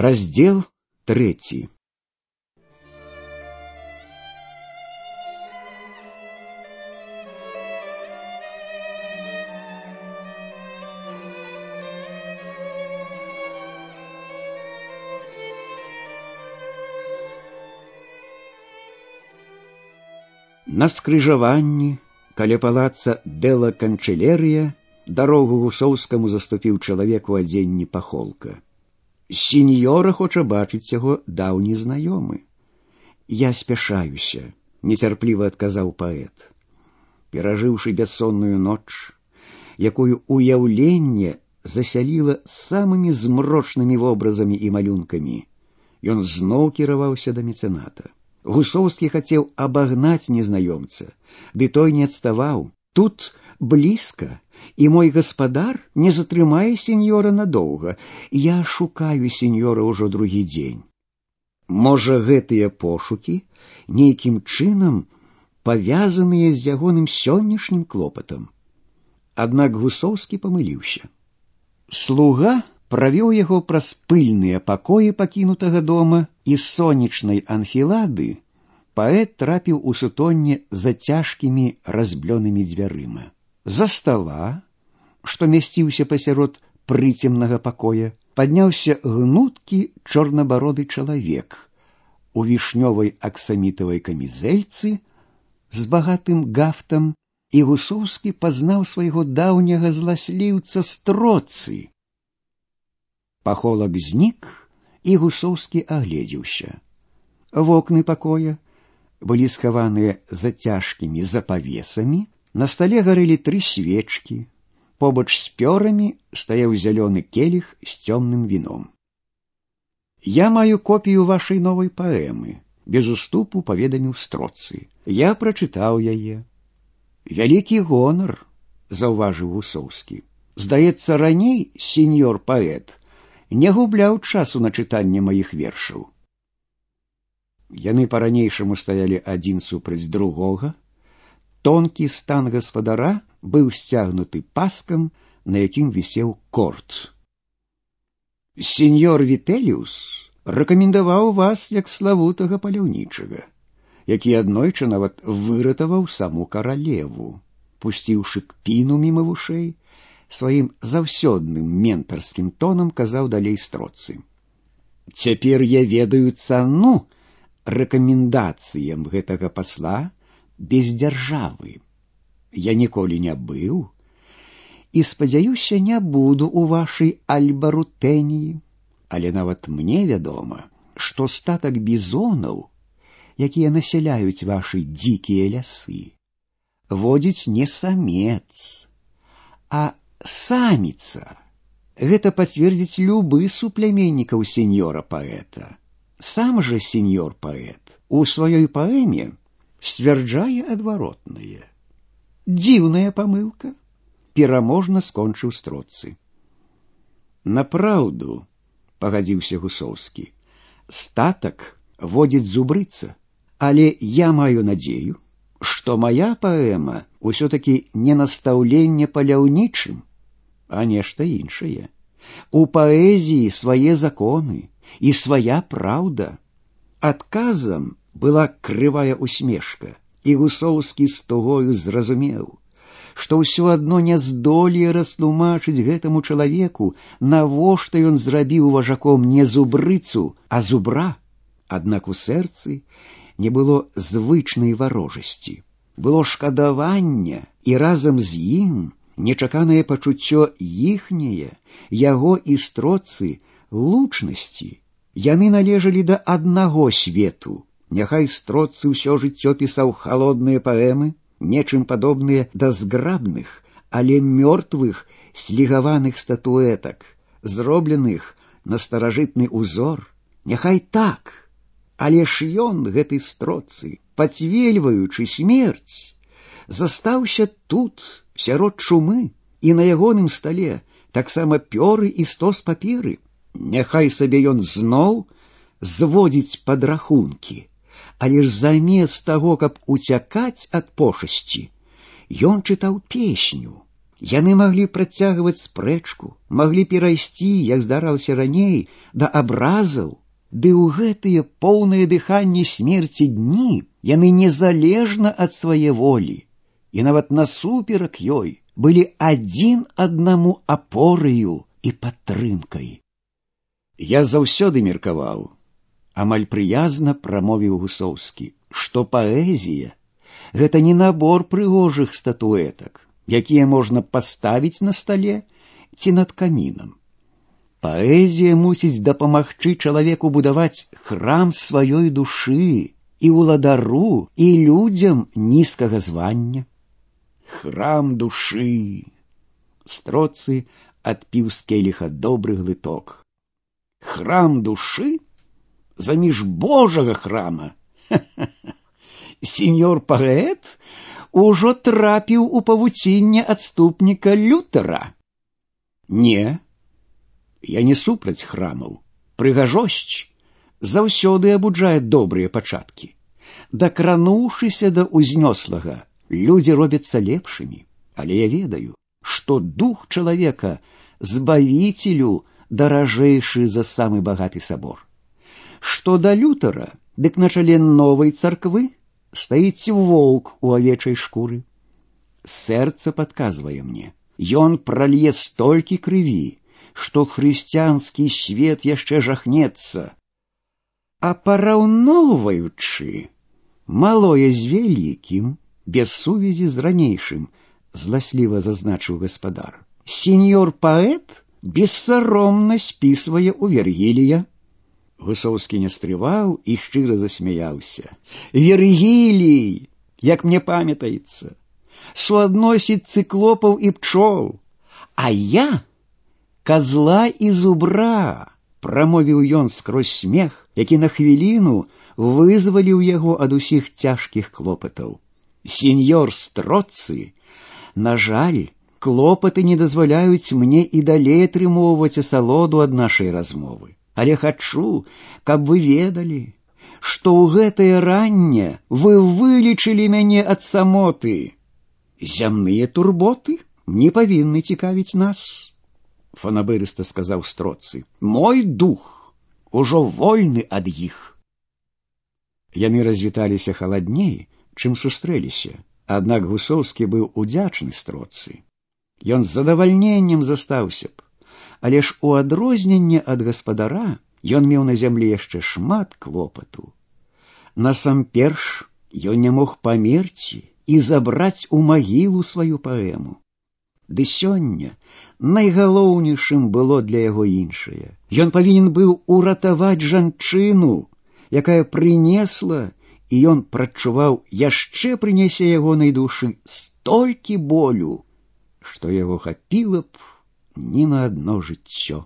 Раздел 3. На скрыжаванні, каля палаца Дэла Канчэлерыя, дарогу Гусоўскаму заступіў чалавек у адзенні пахолка. Сіньора хоча бачыць яго даўні знаёмы. Я спяшаюся, нецярпліва адказаў паэт. Перажыўшы бяссонную ноч, якую уяўленне засяліла самымі змрочнымі вобразамі і малюнкамі, ён зноў кіраваўся да мецэната. Гусоўскі хацеў абагнаць незнаёмца, ды той не адставаў. Тут блізка, і мой гаспадар не затрымае сеньора надоўга. Я шукаю сеньора ўжо другі дзень. Можа, гэтыя пошукі нейкім чынам павязаныя з ягоным сённяшнім клопатам. Аднак Гусоўскі памыліўся. Слуга правёў яго праз пыльныя пакоі пакінутага дома, і з сонечнай анфілады паэт трапіў у сутонне за цяжкімі разблёнымі дзвярыма. За стала, што мясціўся пасярод прыцемнага пакоя, падняўся гнуткі чорнабароды чалавек у вішнёвай аксамітавай камізэльцы з багатым гафтам, і Гусоўскі пазнаў свайго даўняга зласліўца Строцы. Пахолак знік, і Гусоўскі агледзеўся. Вокны пакоя былі схаваныя за цяжкімі запавесамі, на стале гарэлі 3 свечкі, побач з пёрамі стаяў зялёны келіх з цёмным віном. Я маю копію вашай новай паэмы, без уступу паведаміў Строцы. Я прачытаў яе. Вялікі гонар, заўважыў Гусоўскі. Здаецца, раней сеньор паэт не губляў часу на чытанне маіх вершаў. Яны па-ранейшаму стаялі адзін супраць другога. Тонкі стан гаспадара быў сцягнуты паскам, на якім вісеў корт. Сеньор Вітэліус рэкамендаваў вас як славутага паляўнічага, які аднойчы нават выратаваў саму каралеву, пусціўшы кпіну міма вушэй, сваім заўсёдным ментарскім тонам казаў далей Строцы. Цяпер я ведаю цану рэкамендацыям гэтага пасла без дзяржавы. Я ніколі не быў і, спадзяюся, не буду ў вашай Альбарутэнії, але нават мне вядома, што статак бізонаў, якія насяляюць вашы дзікія лясы, водзіць не самец, а саміца. Гэта пацвердзіць любы супляменнікаў сеньора паэта. Сам жа сеньор паэт у сваёй паэме сцвярджае адваротнае. Дзіўная памылка, пераможна скончыў Строцы. Напраўду, пагадзіўся Гусоўскі, статак водзіць зубрыца, але я маю надзею, што мая паэма ўсё-такі не настаўленне паляўнічым, а нешта іншае. У паэзіі свае законы і свая праўда. Адказам была крывая усмешка, і Гусоўскі з тугою зразумеў, што ўсё адно не здолее растлумачыць гэтаму чалавеку, навошта ён зрабіў важаком не зубрыцу, а зубра. Аднак у сэрцы не было звычнай варожасці. Было шкадаванне, і разам з ім нечаканае пачуццё іхняе, яго і Строцы, лучнасці. Яны належалі да аднаго свету. Няхай Строцы ўсё жыццё пісаў халодныя паэмы, нечым падобныя да зграбных, але мёртвых слігаваных статуэтак, зробленых на старажытны ўзор. Няхай так, але ж ён, гэты Строцы, пацвельваючы смерць, застаўся тут, сярод чумы, і на ягоным стале таксама пёры і стос паперы. Няхай сабе ён зноў зводзіць падрахункі, але ж замест таго, каб уцякаць ад пошасці, ён чытаў песню, Яны маглі працягваць спрэчку, маглі перайсці, як здаралася раней, да абразаў, ды ў гэтыя поўныя дыханне смерці дні яны незалежна ад свае волі і нават насуперак ёй былі адзін аднаму апораю і падтрымкай. Я заўсёды меркаваў, амаль прыязна прамовіў Гусоўскі, што паэзія — гэта не набор прыгожых статуэтак, якія можна паставіць на стале ці над камінам. Паэзія мусіць дапамагчы чалавеку будаваць храм сваёй душы і ўладару, і людзям нізкага звання. Храм душы. Строцый адпіў з келіха добры глыток. Храм душы? Заміж Божага храма? Сеньор паэт ужо трапіў у павуцінне адступніка Лютера. Не, я не супраць храмаў. Прыгажосць заўсёды абуджае добрыя пачаткі. Дакрануўшыся да ўзнёслага, людзі робяцца лепшымі, але я ведаю, што дух чалавека збавіцелю даражэйшы за самы багаты сабор. Што да Лютера, дык на чале новай царквы стаіць воўк у авечай шкуры. Сэрца падказвае мне, ён пралье столькі крыві, што хрысціянскі свет яшчэ жахнецца. А параўноўваючы малое з вялікім, без сувязі з ранейшым, зласліва зазначыў гаспадар, сеньор паэт бессаромна спісвае ў Вергілія. Гусоўскі не стрываў і шчыра засмяяўся. Вергілій, як мне памятаецца, суадносіць цыклопаў і пчол, а я козла і зубра, прамовіў ён скрозь смех, які на хвіліну вызваліў яго ад усіх цяжкіх клопатаў. Сеньор Строцый, на жаль, клопаты не дазваляюць мне і далей атрымоўваць асалоду ад нашай размовы. Але хачу, каб вы ведалі, што ў гэтае ранне вы вылечылі мяне ад самоты. Зямныя турботы не павінны цікавіць нас, фанабырыста сказаў Строцый. Мой дух ужо вольны ад іх. Яны развіталіся халадней, чым сустрэліся, аднак Гусоўскі быў удзячны Строцый. Ён з задавальненнем застаўся б, але ж у адрозненне ад гаспадара ён меў на зямлі яшчэ шмат клопату. Насамперш ён не мог памерці і забраць у магілу сваю паэму. Ды сёння найгалоўнейшым было для яго іншае. Ён павінен быў уратаваць жанчыну, якая прынесла, і ён прачуваў, яшчэ прынясе ягонай душы столькі болю, што яго хапіла б ні на адно жыццё.